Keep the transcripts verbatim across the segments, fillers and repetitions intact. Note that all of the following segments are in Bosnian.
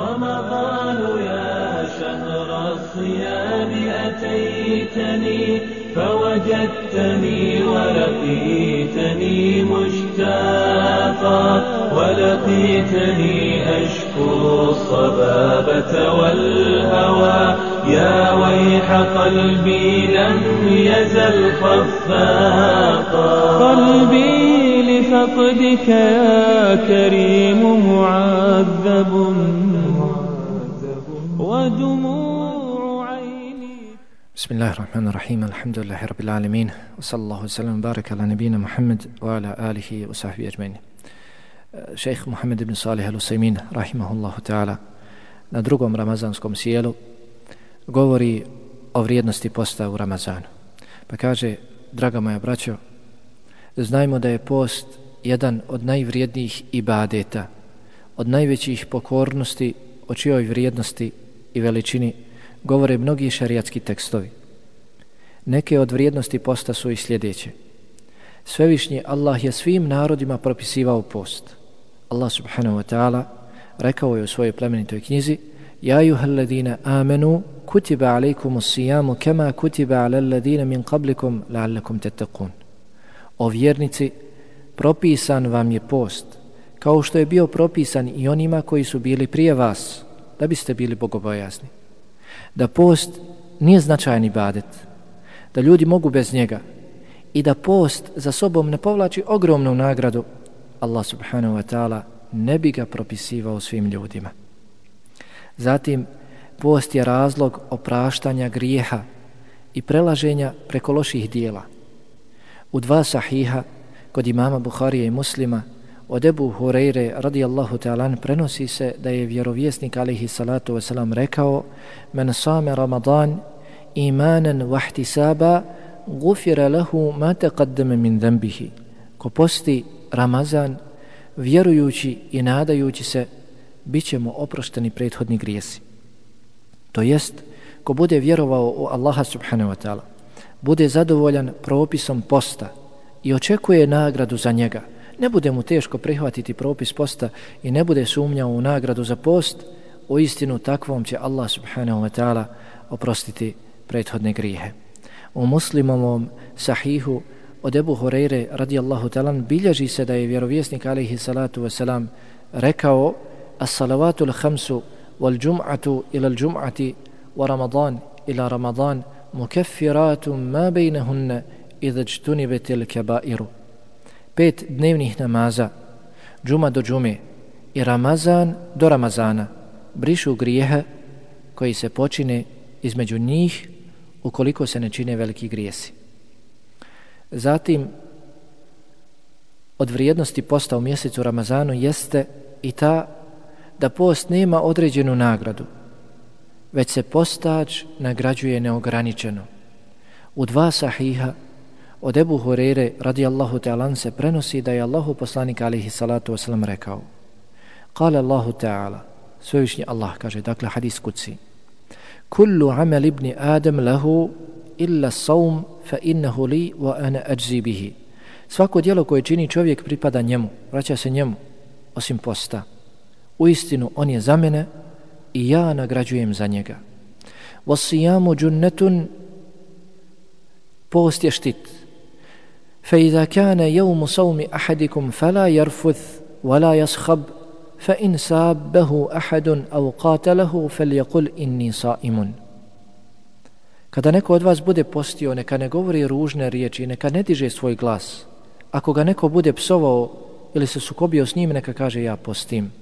رمضان يا شهر الصيام أتيتني فوجدتني ولقيتني مشتاقا ولقيتني أشكو الصبابة والهوى يا ويح قلبي لم يزل خفاقا قلبي لفقدك يا كريم معذب ودموع عيني. بسم الله الرحمن الرحيم الحمد لله رب العالمين وصلى الله وسلم وبارك على نبينا محمد وعلى آله وصحبه أجمعين. Šejh Muhammed ibn Salih al-Usaymin rahimahullahu ta'ala na drugom ramazanskom sjelu govori o vrijednosti posta u Ramazanu. Pa kaže, draga moja braćo, znajmo da je post jedan od najvrijednijih ibadeta, od najvećih pokornosti, o čijoj vrijednosti i veličini govore mnogi šarijatski tekstovi. Neke od vrijednosti posta su i sljedeće. Svevišnji Allah je svim narodima propisivao post. Allah subhanahu wa ta'ala rekao je u svojoj plemenitoj knjizi: Ja ayyuhalladhina amanu kutiba alaykumus siyamu kama kutiba alal ladina min qablikum la'allakum tattaqun. O vjernici, propisan vam je post, kao što je bio propisan i onima koji su bili prije vas, da biste bili bogobojazni. Da post nije značajan ibadet, da ljudi mogu bez njega i da post za sobom ne povlači ogromnu nagradu, Allah subhanahu wa ta'ala ne bi ga propisivao svim ljudima. Zatim, post je razlog opraštanja grijeha i prelaženja preko loših dijela. U dva sahiha kod imama Buharije i Muslima od Ebu Hureyre radijallahu ta'ala prenosi se da je vjerovjesnik alejhi salatu wasalam rekao: Men same Ramadan imanan wahtisaba gufira lahu ma taqaddama min dhanbihi. Ko posti Ramazan vjerujući i nadajući se, bit će mu oprošteni prethodni grijesi. To jest, ko bude vjerovao u Allaha subhanahu wa ta'ala, bude zadovoljan propisom posta i očekuje nagradu za njega, ne bude mu teško prihvatiti propis posta i ne bude sumnjao u nagradu za post, u istinu takvom će Allah subhanahu wa ta'ala oprostiti prethodne grijehe. U Muslimovom sahihu od Ebu Hureyre radijallahu ta'ala bilježi se da je vjerovjesnik alejhi salatu wasalam rekao: As-salavatu l-khamsu wal-jum'atu ila l-jum'ati wa Ramadan ila Ramadan mukeffiratum ma bejnehunne idha jtunibetil kebairu. Pet dnevnih namaza, džuma do džume i Ramazan do Ramazana, brišu grijehe koji se počine između njih ukoliko se ne čine veliki grijesi. Zatim, od vrijednosti posta u mjesecu Ramazanu jeste i ta da post nema određenu nagradu, već se postač nagrađuje neograničeno. U dva sahiha od Ebu Hureyre radijallahu ta'ala se prenosi da je Allahu poslanik alejhi salatu wasalam rekao: Kale Allahu ta'ala, svevišnji Allah kaže, dakle hadis kudsi: Kullu amal ibni Adam lahu illa saum fa innahu li wa ana ajzi bihi. Svako djelo koje čini čovjek pripada njemu, vraća se njemu, osim posta. Uistinu on je za mene i ja nagrađujem za njega. Was-siyamu junnatun, post je štit. Fa idha kana yawmu sawmi ahadikum fala yarfuth wala yaskhab fa in sabbahu ahadun aw qatalahu falyaqul inni sa'imun. Kada neko od vas bude postio, neka ne govori ružne riječi, neka ne diže svoj glas. Ako ga neko bude psovao ili se sukobio s njim, neka kaže: ja postim.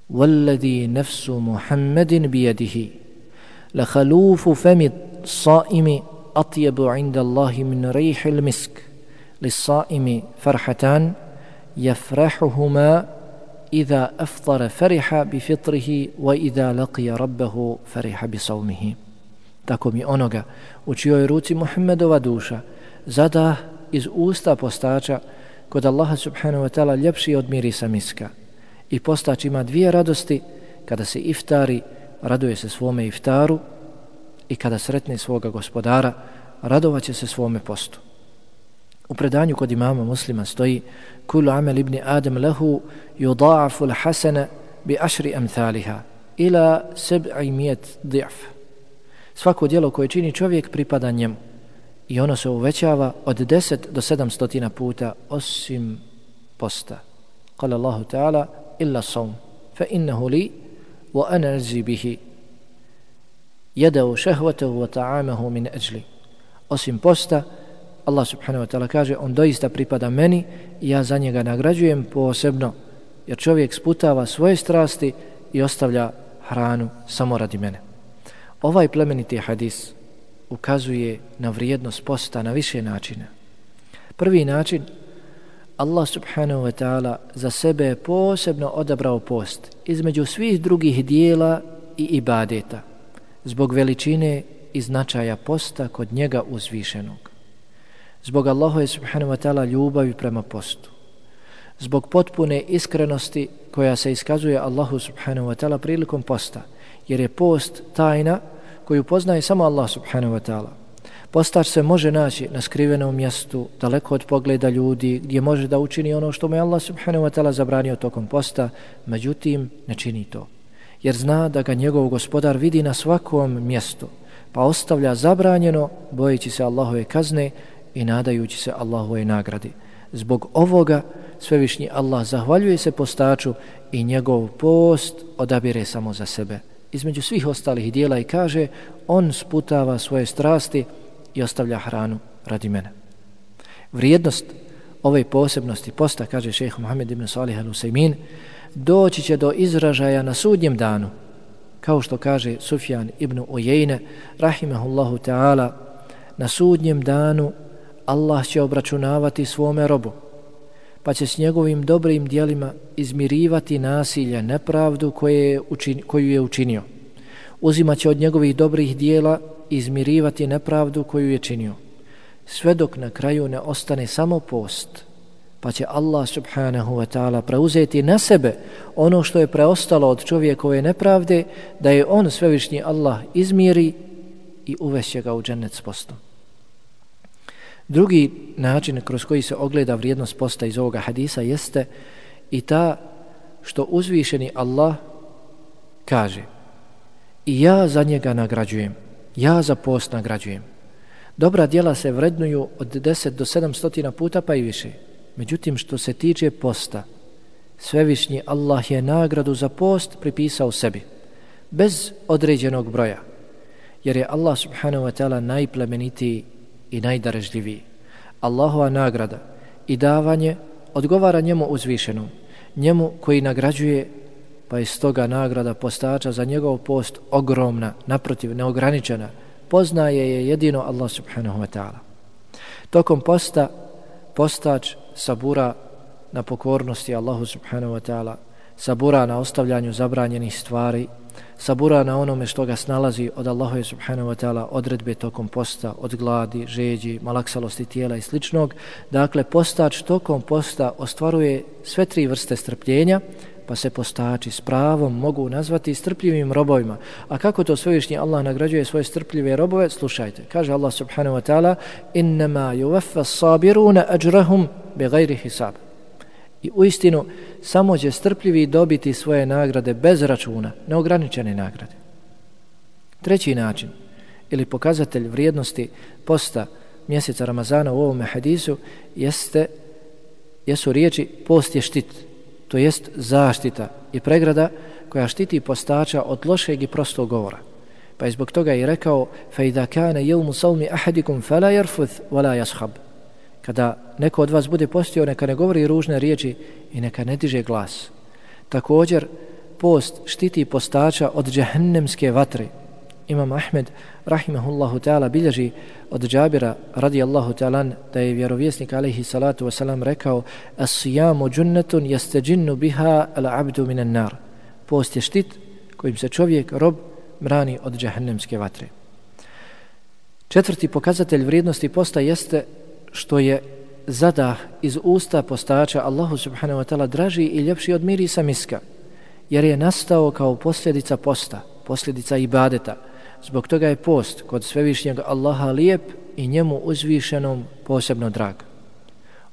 Walladhi nafsu Muhammedin bijedihi la khalufu fami saimi atyabu inda Allahi min rihil misk li saimi farhatan yafrahuhuma idha aftara fariha bi fitrihi wa idha laqiya rabbahu fariha bi sawmihi. Tako mi onoga u čijoj ruci Muhammedova duša zadah iz usta postača kod Allaha subhanahu wa ta'ala ljepši od mirisa miska. I postač ima dvije radosti: kada se iftari, raduje se svome iftaru, i kada sretne svoga gospodara, radovaće se svome postu. U predanju kod imama Muslima stoji: Kullu amal ibni Adam lahu yuda'afu al-hasana bi ašri amthaliha ila seb'i mijet di'f. Svako djelo koje čini čovjek pripada njemu i ono se uvećava od deset do sedamstotina puta osim posta. Kale Allahu ta'ala illa saum fa innahu li wa ana ajzi bihi yadau shahwatahu wa ta'amahu min ajli. Osim posta, Allah subhanahu wa ta'ala kaže, on doista pripada meni i ja za njega nagrađujem posebno, jer čovjek sputava svoje strasti i ostavlja hranu samo radi mene. Ovaj plemeniti hadis ukazuje na vrijednost posta na više načina. Prvi način, Allah subhanahu wa ta'ala za sebe je posebno odabrao post između svih drugih dijela i ibadeta, zbog veličine i značaja posta kod njega uzvišenog. Zbog Allahove subhanahu wa ta'ala ljubavi prema postu. Zbog potpune iskrenosti koja se iskazuje Allahu subhanahu wa ta'ala prilikom posta, jer je post tajna koju poznaje samo Allah subhanahu wa ta'ala. Postač se može naći na skrivenom mjestu, daleko od pogleda ljudi, gdje može da učini ono što mu je Allah subhanahu wa ta'ala zabranio tokom posta, međutim ne čini to. Jer zna da ga njegov gospodar vidi na svakom mjestu, pa ostavlja zabranjeno, bojeći se Allahove kazne i nadajući se Allahove nagradi. Zbog ovoga svevišnji Allah zahvaljuje se postaču i njegov post odabire samo za sebe između svih ostalih dijela i kaže, on sputava svoje strasti i ostavlja hranu radi mene. Vrijednost ove posebnosti posta, kaže šejh Muhammed ibn Salih al-Usaymin, doći će do izražaja na sudnjem danu, kao što kaže Sufjan ibn Ujejne rahimahullahu ta'ala, na sudnjem danu Allah će obračunavati svome robu, pa će s njegovim dobrim djelima izmirivati nasilje, nepravdu koje je učin, koju je učinio. Uzimat će od njegovih dobrih dijela izmirivati nepravdu koju je činio. Sve dok na kraju ne ostane samo post, pa će Allah subhanahu wa ta'ala preuzeti na sebe ono što je preostalo od čovjekove nepravde, da je on svevišnji Allah izmiri i uvešće ga u džennet s postom. Drugi način kroz koji se ogleda vrijednost posta iz ovoga hadisa jeste i ta što uzvišeni Allah kaže, i ja za njega nagrađujem, ja za post nagrađujem. Dobra djela se vrednuju od deset do sedamstotina puta pa i više. Međutim, što se tiče posta, svevišnji Allah je nagradu za post pripisao sebi, bez određenog broja, jer je Allah subhanahu wa ta'ala najplemenitiji i najdarežljiviji. Allahova nagrada i davanje odgovara njemu uzvišenom, njemu koji nagrađuje, pa je stoga nagrada postača za njegov post ogromna, naprotiv, neograničena. Poznaje je jedino Allah subhanahu wa ta'ala. Tokom posta postač sabura na pokornosti Allahu subhanahu wa ta'ala, sabura na ostavljanju zabranjenih stvari, sabura na onome što ga snalazi od Allaha subhanahu wa ta'ala odredbe tokom posta, od gladi, žeđi, malaksalosti tijela i sličnog. Dakle, postač tokom posta ostvaruje sve tri vrste strpljenja, pa se postači s pravom mogu nazvati strpljivim robovima. A kako to svevišnji Allah nagrađuje svoje strpljive robove? Slušajte, kaže Allah subhanahu wa ta'ala, innama yuvaffa as-sabiruna ajrahum bighayri hisab. I uistinu samo će strpljivi dobiti svoje nagrade bez računa, neograničene nagrade. Treći način ili pokazatelj vrijednosti posta mjeseca Ramazana u ovom hadisu jeste, jesu riječi post je štit, to jest zaštita i pregrada koja štiti postača od lošeg i prostog govora. Pa je zbog toga i rekao فَإِذَا كَانَ يَوْمُ صَوْمِ أَحَدِكُمْ فَلَا يَرْفُثْ وَلَا يَصْحَبْ. Kada neko od vas bude postio, neka ne govori ružne riječi i neka ne diže glas. Također, post štiti postača od džehennemske vatre. Imam Ahmed, rahimahullahu ta'ala, bilježi od Džabira, radijallahu ta'alan, da je vjerovjesnik, alaihi salatu wasalam, rekao as-sijamu džunnetun jasteđinnu biha al-abdu minan nar. Post je štit kojim se čovjek, rob, brani od džehennemske vatre. Četvrti pokazatelj vrijednosti posta jeste što je zadah iz usta postača Allahu subhanahu wa ta'ala draži i ljepši od mirisa miska, jer je nastao kao posljedica posta, posljedica ibadeta. Zbog toga je post kod svevišnjeg Allaha lijep i njemu uzvišenom posebno drag.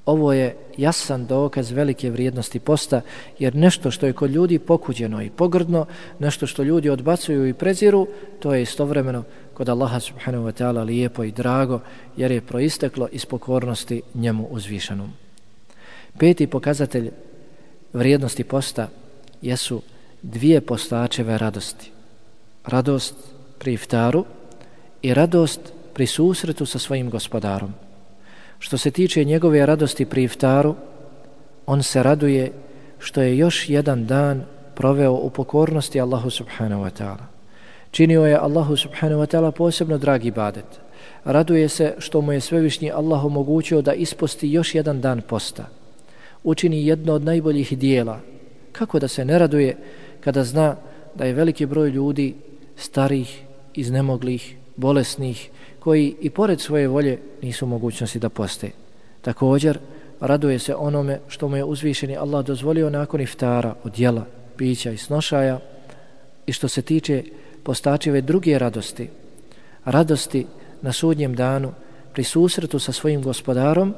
Ovo je jasan dokaz velike vrijednosti posta, jer nešto što je kod ljudi pokuđeno i pogrdno, nešto što ljudi odbacuju i preziru, to je istovremeno kod Allaha subhanahu wa ta'ala lijepo i drago, jer je proisteklo iz pokornosti njemu uzvišenom. Peti pokazatelj vrijednosti posta jesu dvije postačeve radosti. Radost pri iftaru i radost pri susretu sa svojim gospodarom. Što se tiče njegove radosti pri iftaru, on se raduje što je još jedan dan proveo u pokornosti Allahu subhanahu wa ta'ala. Činio je Allahu subhanahu wa ta'ala posebno dragi ibadet. Raduje se što mu je svevišnji Allah omogućio da isposti još jedan dan posta. Učini jedno od najboljih dijela. Kako da se ne raduje kada zna da je veliki broj ljudi starih, iznemoglih, bolesnih, koji i pored svoje volje nisu u mogućnosti da poste. Također, raduje se onome što mu je uzvišeni Allah dozvolio nakon iftara od jela, pića i snošaja, i što se tiče postačive druge radosti, radosti na sudnjem danu pri susretu sa svojim gospodarom,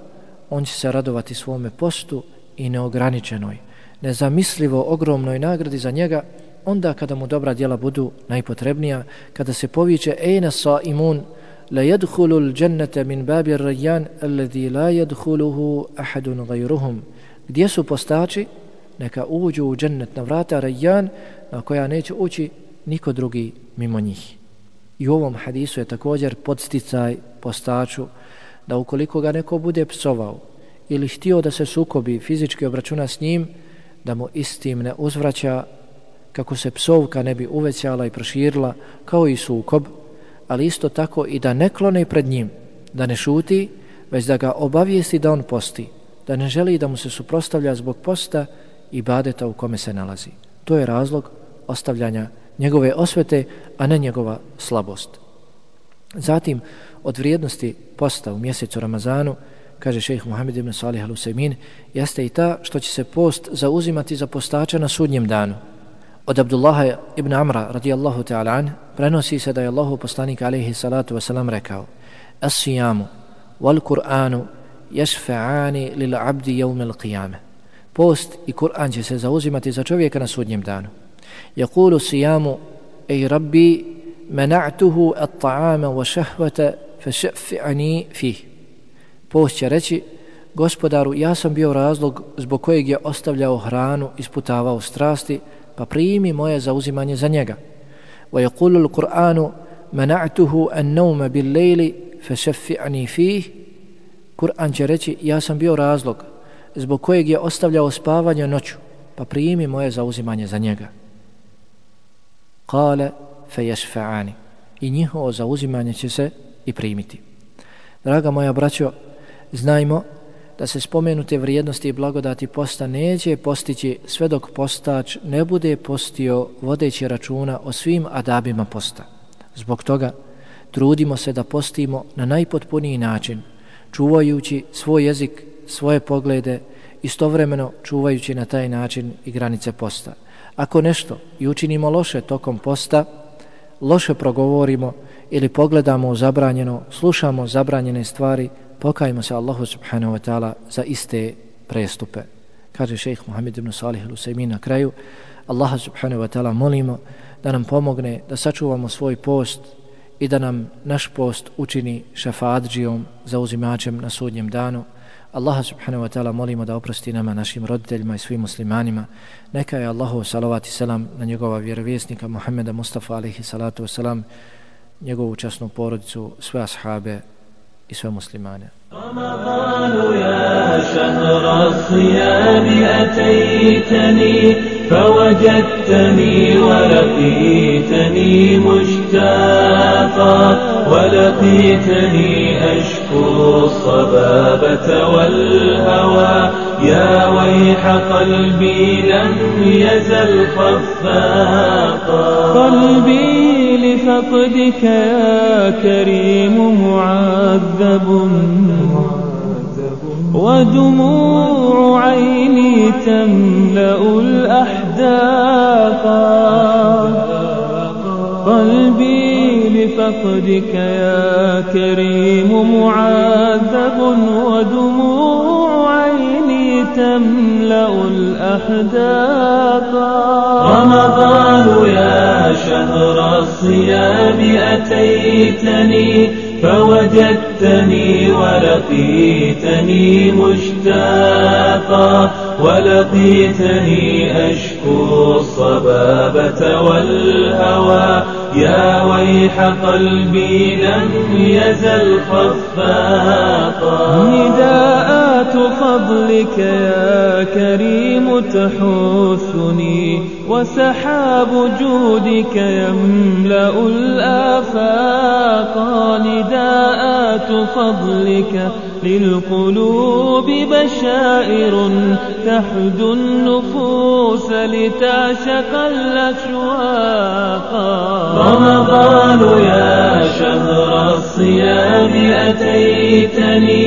on će se radovati svome postu i neograničenoj, nezamislivo ogromnoj nagradi za njega, onda kada mu dobra djela budu najpotrebnija, kada se poviče ejna saimun la yadkhulul jannata min babi ar-rayyan alladhi la yadkhuluhu ahadun ghayruhum. Gdje su postači? Neka uđu u džennet na vrata Rayyan, na koja neće ući niko drugi mimo njih. I u ovom hadisu je također podsticaj postaču da ukoliko ga neko bude psovao ili htio da se sukobi, fizički obračuna s njim, da mu istim ne uzvraća, kako se psovka ne bi uvećala i proširila kao i sukob, ali isto tako i da ne klone pred njim, da ne šuti, već da ga obavijesti da on posti, da ne želi da mu se suprotstavlja zbog posta i ibadeta u kome se nalazi. To je razlog ostavljanja njegove osvete, a ne njegova slabost. Zatim, od vrijednosti posta u mjesecu Ramazanu, kaže šejh Muhammed ibn Salih al-Usaymin, jeste i ta što će se post zauzimati za postača na sudnjem danu. Od Abdullaha ibn Amra radijallahu ta'ala an prenosi se da je Allahu poslanik alejhi salatu wasalam rekao: "As-siyamu wal Qur'anu yashfa'ani lil 'abdi yawm al-qiyamah." Post i Kur'an će se zauzimati za čovjeka na sudnjem danu. Yaqulu siyamu ej rabbi mana'tuhu at-ta'ama wa shahwata fashaffi'ani fih. Post će reći: Gospodaru, ja sam bio razlog zbog kojeg je ostavljao hranu, isputavao strasti, pa primi moje zauzimanje za njega. Wa yaqulu al-Qur'anu mana'tuhu an-nawma bil-layli fashaffi'ani fih. Kur'an će reći: ja sam bio razlog zbog kojeg je ostavljao spavanje noću, pa primi moje zauzimanje za njega. Kale fe yashfa'ani. I njihovo zauzimanje će se i primiti. Draga moja braćo, znajmo da se spomenute vrijednosti i blagodati posta neće postići sve dok postač ne bude postio vodeći računa o svim adabima posta. Zbog toga trudimo se da postimo na najpotpuniji način, čuvajući svoj jezik, svoje poglede, istovremeno čuvajući na taj način i granice posta. Ako nešto i učinimo loše tokom posta, loše progovorimo ili pogledamo u zabranjeno, slušamo zabranjene stvari, pokajmo se Allahu subhanahu wa ta'ala za iste prestupe. Kaže šejh Muhammed ibn Salih al-Usaymin na kraju: Allaha subhanahu wa ta'ala molimo da nam pomogne da sačuvamo svoj post i da nam naš post učini šefaatdžijom, zauzimačem na sudnjem danu. Allaha subhanahu wa ta'ala molimo da oprosti nama, našim roditeljima i svim muslimanima. Neka je Allahu salavat i selam na njegova vjerovjesnika Muhammeda Mustafa alejhi salatu wasalam, njegovu časnu porodicu, sve ashabe i sve muslimane. رمضان يا شهر الصيام أتيتني فوجدتني ولقيتني مشتاقا ولقيتني أشكو الصبابة والهوى يا ويح قلبي لم يزل خفاقا قلبي لفقدك يا كريم معذب ودموع عيني تملأ الأحداق قلبي لفقدك يا كريم معذب ودموع تملأ الأحداق. رمضان يا شهر الصيام أتيتني فوجدتني ولقيتني مشتاقا ولقيتني أشكو الصبابة والهوى يا ويح قلبي لم يزل خفاقا. نداءات فضلك يا كريم تحثني وسحاب جودك يملأ الآفاق. نداءات فضلك للقلوب بشائر تحدو النفوس لتعشق الأشواق. رمضان يا شهر الصيام أتيتني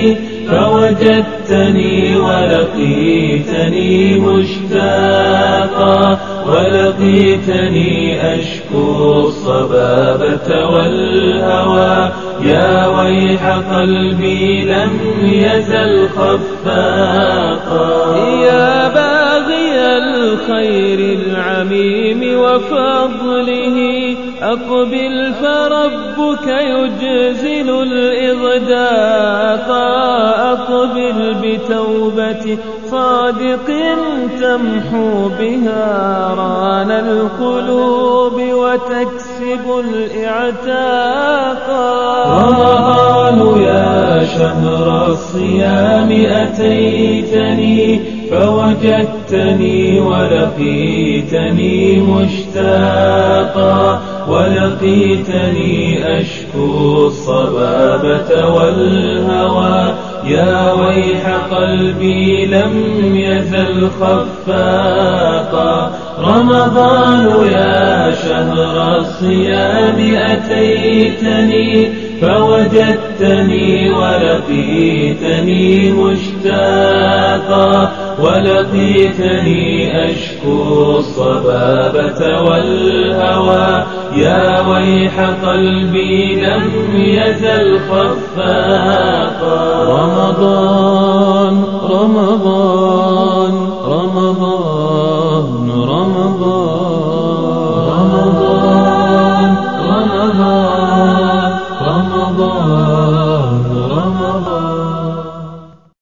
فوجدتني ولقيتني مشتاقا ولقيتني أشكو الصبابة والهوى يا ويح قلبي لم يزل خفاقا. يا باغي الخير العميم وفضله أقبل فربك يجزل الإغداق. أقبل بتوبة صادق تمحو بها ران القلوب وتكسب الإعتاق. رمضان يا شهر الصيام أتيتني فوجدتني ولقيتني مشتاقا ولقيتني أشكو الصبابة والهوى يا ويح قلبي لم يزل خفاقا. رمضان يا شهر الصيام أتيتني فوجدتني ولقيتني مشتاقا ولقيتني أشكو الصبابة والهوى يا ويح قلبي لم يزل خفاقا. رمضان رمضان